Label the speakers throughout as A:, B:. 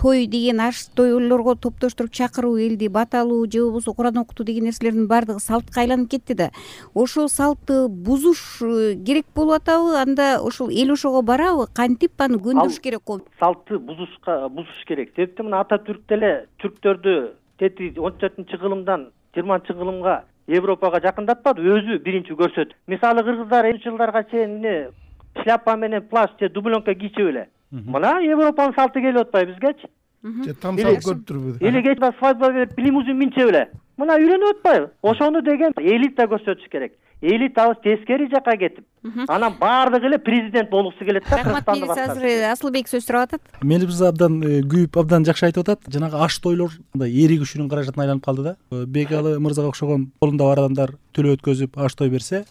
A: той деген аш тойлорго топтоштуруп чакыруу, элди баталуу же болбосо Куран окутуу деген нерселердин баардыгы салтка айланып кетти да. Ошол салтты бузуш керек болуп атабы? Анда ошол эл ошого барабы? Кантип аны көндүрүш керек болот?
B: Салтты бузуш керек. Себептен мына Ататүрк деле түрктөрдү 14-кылымдан 20-кылымга Европага жакындатпады, өзү биринчи көрсөттү. Мисалы кыргыздар 70 жылдарга чейин эмне шляпа менен плащ же дубленка кийчү эле. Мына Европанын салты келип атпайбы бизгечи?
C: Там салт көрүп турбу.
B: Эле кечээ свадьба берип лимузин минче эле. Мына үйрөнүп атпайбы? Ошону деген элита көрсөтүш керек. Элитабыз тескери жака кетип, анан баардыгы эле президент болгусу келет да.
A: Рахмат, милис азыр Асылбек сөз сурап атат.
D: Мелибиз абдан күйүп, абдан жакшы айтып атат. Жанагы аш тойлор эри күчүнүн каражатына айланып калды да. Бекалы мырзага окшогон колунда бар адамдар төлөө өткөзүп аш той берсе,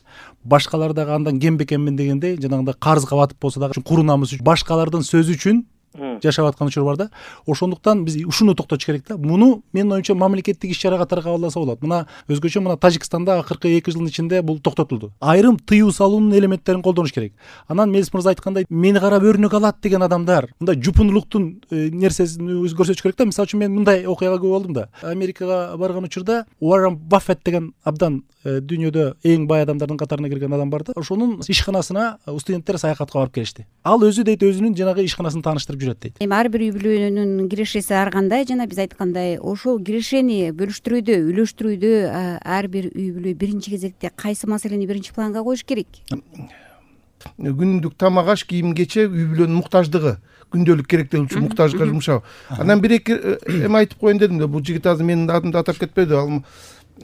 D: башкалар дагы андан кем бекенмин дегендей жанагындай карызга батып болсо дагы куру намыс үчүн, башкалардын сөзү үчүн жашап аткан учур бар да. Ошондуктан биз ушуну токтотуш керек да. Муну менин оюмча мамлекеттик иш-чара катары кабылдаса болот. Мына өзгөчө мына Тажикстанда акыркы 2 жылдын ичинде бул токтотулду. Айрым тыюу салуунун элементтерин колдонуш керек. Анан Мелис мырза айткандай, мени карап өрнөк алат деген адамдар мындай жупунулуктун нерсесин көрсөтүш керек да. Мисалы үчүн мен мындай окуяга күбө болдум да. Америкага барган учурда Уоррен Баффет деген абдан дүйнөдө эң бай адамдардын катарына кирген адам бар да. Ошонун ишканасына студенттер саякатка барып келишти. Ал өзү дейт өзүнүн жанагы ишканасын тааныштырып жүрөт дейт.
A: Эми ар бир үй бүлөнүн кирешеси ар кандай, жана биз айткандай ошол кирешени бөлүштүрүүдө, үйлөштүрүүдө ар бир үй бүлө биринчи кезекте кайсы маселени биринчи планга коюш керек?
C: Күндүк тамак, аш, кийим, кече үй бүлөнүн муктаждыгы, күндөлүк керектелүүчү муктажга жумшоо. Анан бир эки эме айтып коеюн дедим да. Бул жигит азыр менин атымды атап кетпеди.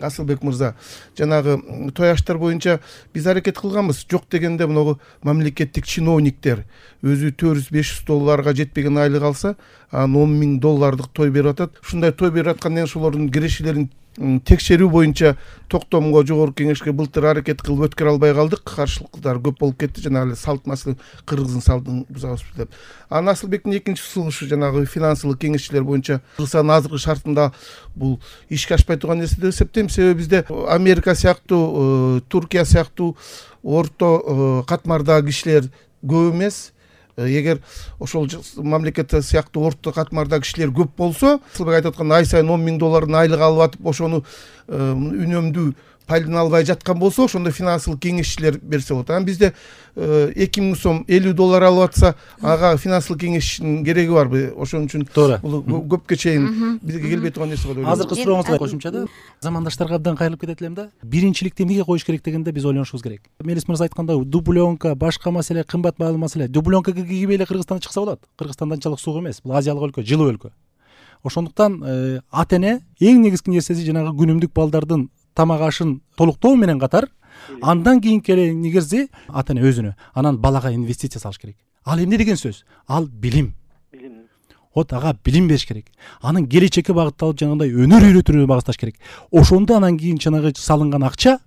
C: Асылбек мырза, жанагы той аштар боюнча биз аракет кылганбыз. Жок дегенде могу мамлекеттик чиновниктер өзү $400-500 жетпеген айлык алса, анан $10,000 той берип атат. Ушундай той берип аткандан ошолордун кирешелерин текшерүү боюнча токтомго жогорку кеңешке былтыр аракет кылып өткөрө албай калдык. Каршылыктар көп болуп кетти. Жанагы салт маселе, кыргыздын салтын бузабыз деп. Анан Асылбектин экинчи сунушу жанагы финансылык кеңешчилер боюнча Кыргызстандын азыркы шартында бул ишке ашпай турган нерсе деп эсептейм. Себеби бизде Америка сыяктуу, Туркия сыяктуу орто катмардагы кишилер көп эмес. Эгер ошол мамлекет сыяктуу орто катмардагы кишилер көп болсо, Асылбек айтып аткандай ай сайын $10,000 айлык алып атып, ошону үнөмдүү пайдалана албай жаткан болсо, ошондо финансылык кеңешчилер берсе болот. Анан бизде $2,000 $50 алып атса, ага финансылык кеңешчинин кереги барбы? Ошон үчүн бул көпкө чейин бизге келбей турган нерсе болот.
D: Азыркы сурооңузга кошумча да, замандаштарга абдан кайрылып кетет элем да. Биринчиликти эмнеге коюш керек дегенде биз ойлонушубуз керек. Мелис мырза айткандай, дубленка, башка маселе, кымбат баалуу маселе. Дубленка кийбей эле Кыргызстандан чыкса болот. Кыргызстан анчалык суук эмес. Бул азиялык өлкө, жылуу өлкө. Ошондуктан ата эне эң негизги нерсеси жанагы күнүмдүк балдардын тамак ашын толуктоо менен катар, андан кийинки эле негизи ата эне өзүнө, анан балага инвестиция салыш керек. Ал эмне деген сөз? Ал билим. Вот ага билим бериш керек. Анын келечекке багытталып жанагындай өнөр үйрөтүүгө багытташ керек. Ошондо анан кийин жанагы салынган акча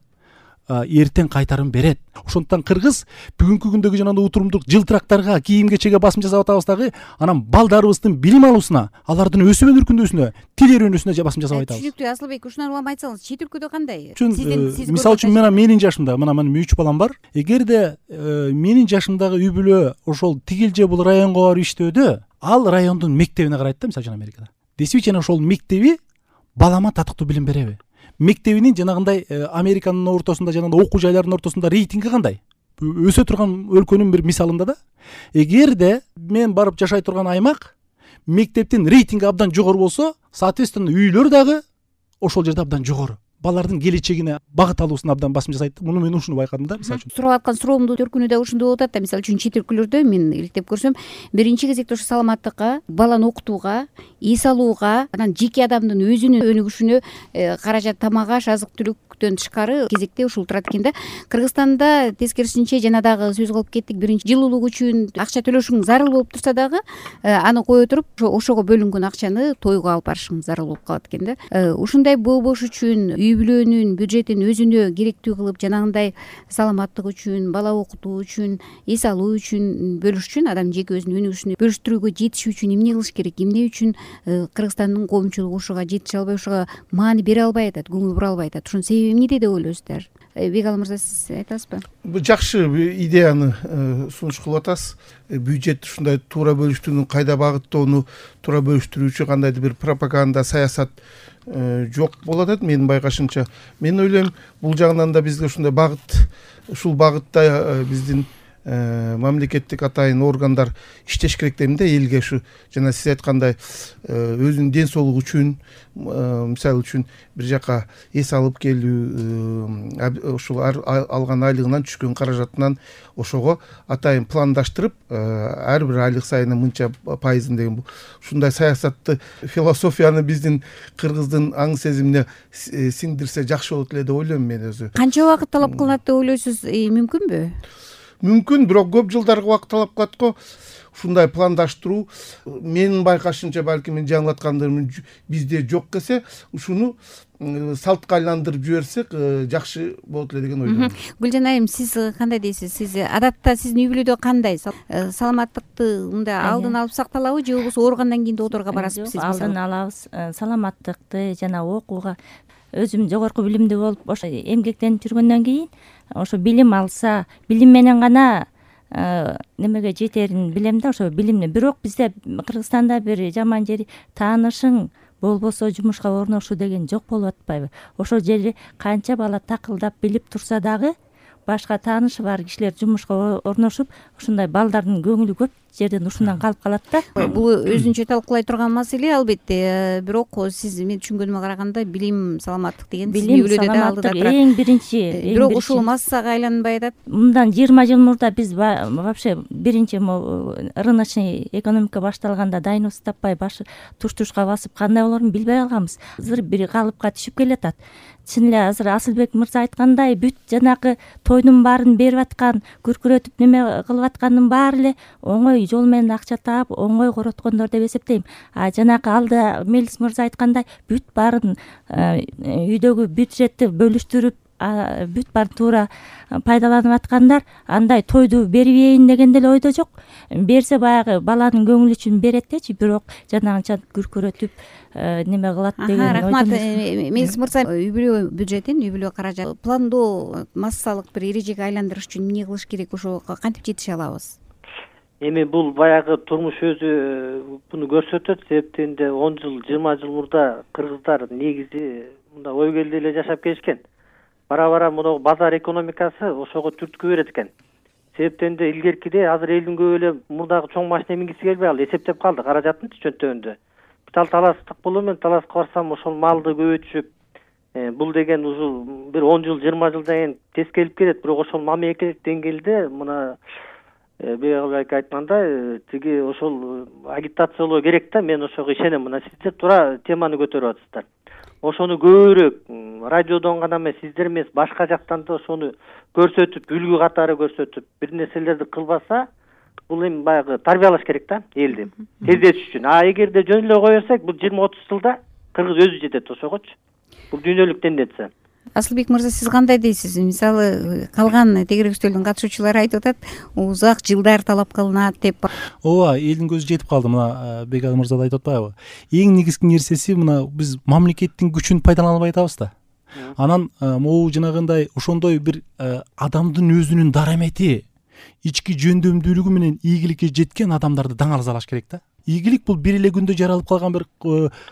D: эртең кайтарын берет. Ошондуктан кыргыз бүгүнкү күндөгү жанагындай утурумдук жылтырактарга, кийим кечеге басым жасап атабыз дагы, анан балдарыбыздын билим алуусуна, алардын өсүп өнүркүнүүсүнө, тил үйрөнүүсүнө басым жасап атабыз.
A: Түшүнүктүү Асылбек, ушуну улам айтсаңыз, чет өлкөдө кандай?
D: Мисалы үчүн менин жашымда, мына менин 3 балам бар. Эгерде менин жашымдагы үй бүлө ошол тигил же бул районго барып иштөөдө, ал райондун мектебине карайт да, мисалы үчүн Америкада. Действительно ошол мектеби балама татыктуу билим береби? Мектебинин жанагындай Американын ортосунда, жанагындай окуу жайларынын ортосунда рейтинги кандай? Өсө турган өлкөнүн бир мисалында да. Эгерде мен барып жашай турган аймак мектептин рейтинги абдан жогору болсо, соответственно үйлөр дагы ошол жерде абдан жогору. Балардын келечегине багыт алуусуна абдан басым жасайт. Муну мен ушуну байкадым да, мисалы үчүн.
A: Сурап аткан суроомдун төркүнү да ушундай болуп атат да. Мисалы үчүн чет өлкөлөрдө мен иликтеп көрсөм, биринчи кезекте ошо саламаттыкка, баланы окутууга, эс алууга, анан жеке адамдын өзүнүн өнүгүшүнө каражат, тамак аш, азык түлүктөн тышкары кезекте ушул турат экен да. Кыргызстанда тескерисинче жана дагы сөз кылып кеттик, биринчи жылуулук үчүн акча төлөшүң зарыл болуп турса дагы, аны кое туруп ошого бөлүнгөн акчаны тойго алып барышың зарыл болуп калат экен да. Ушундай болбош үчүн үй бүлөнүн бюджетин өзүнө керектүү кылып, жанагындай саламаттык үчүн, бала окутуу үчүн, эс алуу үчүн бөлүш үчүн, адам жеке өзүнүн өнүгүшүнө бөлүштүрүүгө жетиш үчүн эмне кылыш керек? Эмне үчүн Кыргызстандын коомчулугу ушуга жетише албай, ушуга маани бере албай атат, көңүл бура албай атат? Ушунун себеби эмнеде деп ойлойсуздар? Бегалы мырза, сиз айтасызбы?
C: Бул жакшы идеяны сунуш кылып атасыз. Бюджет ушундай туура бөлүштүүнү, кайда багыттоону туура бөлүштүрүүчү кандайдыр бир пропаганда, саясат жок болот атат менин байкашымча. Мен ойлойм, бул жагынан да бизге ушундай багыт, ушул багытта биздин мамлекеттик атайын органдар иштеш керек дейм да, элге ушу жана сиз айткандай өзүнүн ден соолугу үчүн, мисалы үчүн бир жака эс алып келүү, ушул алган айлыгынан түшкөн каражатынан ошого атайын пландаштырып, ар бир айлык сайын мынча пайызын деген ушундай саясатты, философияны биздин кыргыздын аң сезимине сиңдирсе жакшы болот эле деп ойлойм мен өзү.
A: Канча убакыт талап кылынат деп ойлойсуз? Мүмкүнбү?
C: Мүмкүн, бирок көп жылдарга убакыт талап кылат го. Ушундай пландаштыруу менин байкашымча, балким мен жаңылаткандырмын, бизде жок келсе, ушуну салтка айландырып жиберсек жакшы болот эле деген ойдомун.
A: Гүлжан айым, сиз кандай дейсиз? Сиз адатта сиздин үй бүлөдө кандай саламаттыкты мындай алдын алып сакталабы, же болбосо ооругандан кийин доодорго барасызбы сиз?
E: Алдын алабыз. Саламаттыкты жана окууга өзүм жогорку билимдүү болуп, ошо эмгектенип жүргөндөн кийин ошо билим алса, билим менен гана немеге жетерин билем да, ошо билимди. Бирок бизде Кыргызстанда бир жаман жери таанышың болбосо жумушка орношуу деген жок болуп атпайбы? Ошол жери канча бала такылдап билип турса дагы башка таанышы бар кишилер жумушка орношуп, ушундай балдардын көңүлү көп жерден ушундан калып калат да.
A: Бул өзүнчө талкуулай турган маселе албетте, бирок сиз мен түшүнгөнүмө караганда билим, саламаттык деген сиздин үй бүлөдө да алдыда турат.
E: Эң биринчи.
A: Бирок ушул массага айланбай атат.
E: Мындан 20 жыл мурда биз вообще биринчи рыночный экономика башталганда дайныбыз таппай башы туш-тушка басып кандай болорун билбей калганбыз. Азыр бир калыпка түшүп келатат. Чын эле азыр Асылбек мырза айткандай, бүт жанагы тойдун баарын берип аткан, күркүрөтүп неме кылып аткандын баары эле оңой жол менен акча таап, оңой короткондор деп эсептейм. Жанагы алда Мелис мырза айткандай, бүт баарын үйдөгү бюджетти бөлүштүрүп, бүт баарын туура пайдаланып аткандар андай тойду бербейин деген деле ойдо жок. Берсе баягы баланын көңүлү үчүн берет дечи, бирок жанагынча күркүрөтүп неме кылат деген.
A: Рахмат. Мелис мырза, үй бүлө бюджетин, үй бүлө каражатын пландоо, массалык бир эрежеге айландырыш үчүн эмне кылыш керек, ошо кантип жетише алабыз?
B: Эми бул баягы турмуш өзү буну көрсөтөт. Себептенде 10 жыл, 20 жыл мурда кыргыздар негизи мында ой келди эле жашап келишкен. Бара-бара мына базар экономикасы ошого түрткү берет экен. Себептенде илгеркиде азыр элдин көбү эле мурдагы чоң машина мингиси келбей калды, эсептеп калды каражатын чөнтөгөндө. Таластык болуу менен таласка барсам ошол малды көбөйтүшүп, бул деген ушул бир 10 жыл, 20 жылдан кийин тез келип келет. Бирок ошол мамлекеттик деңгээлде мына Бегалы айткандай, тиги ошол агитациялоо керек да. Мен ошого ишенем. Мына сиздер туура теманы көтөрүп атасыздар. Ошону көбүрөөк радиодон гана эмес, сиздер эмес, башка жактан да ошону көрсөтүп, үлгү катары көрсөтүп, бир нерселерди кылбаса, бул эми баягы тарбиялаш керек да элди тездетиш үчүн. Эгерде жөн эле кое берсек, бул 20-30 жылда Кыргыз өзү жетет ошогочу. Бул дүйнөлүк тенденция.
A: Асылбек мырза, сиз кандай дейсиз? Мисалы, калган тегерек үстөлдүн катышуучулары айтып атат, узак жылдар талап кылынат деп.
D: Ооба, элдин көзү жетип калды. Мына Бегалы мырза да айтып атпайбы? Эң негизги нерсеси мына биз мамлекеттин күчүн пайдалана албай атабыз да. Анан могу жанагындай ошондой бир адамдын өзүнүн дарамети, ички жөндөмдүүлүгү менен ийгиликке жеткен адамдарды даңалзалаш керек да. Ийгилик бул бир эле күндө жаралып калган бир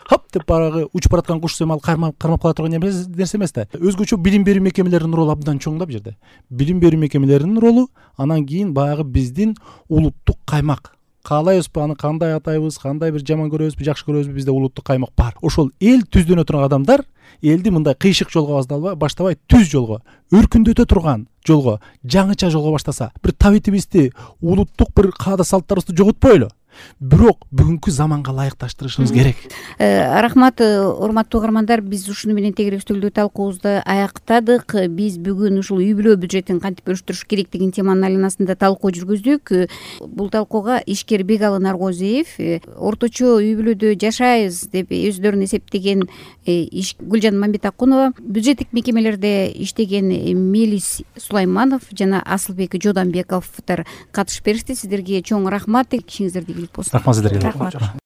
D: хап деп барагы учуп бараткан куш сымал кармап кала турган нерсе эмес да. Өзгөчө билим берүү мекемелеринин ролу абдан чоң да бул жерде. Билим берүү мекемелеринин ролу, анан кийин баягы биздин улуттук каймак. Каалайбызбы, аны кандай атайбыз, кандай бир жаман көрөбүзбү, жакшы көрөбүзбү, бизде улуттук каймак бар. Ошол эл түздөнө турган адамдар элди мындай кыйшык жолго баштабай, түз жолго, өркүндөтө турган жолго, жаңыча жолго баштаса, бир табитибизди, улуттук бир каада салттарыбызды жоготпойлу. Бирок бүгүнкү заманга ылайыкташтырышыбыз керек.
A: Рахмат, урматтуу угармандар, биз ушуну менен тегерек үстөлдө талкуубузду аяктадык. Биз бүгүн ушул үй бүлө бюджетин кантип бөлүштүрүш керек деген теманын айланасында талкуу жүргүздүк. Бул талкууга ишкер Бегалы Наргозиев, орточо үй бүлөдө жашайбыз деп өздөрүн эсептеген Гүлжан Мамбетакунова, бюджеттик мекемелерде иштеген Мелис Сулайманов жана Асылбек Жоданбековдор катышып беришти. Сиздерге чоң рахмат. Кишиңиздерди. Рахмат сиздерге.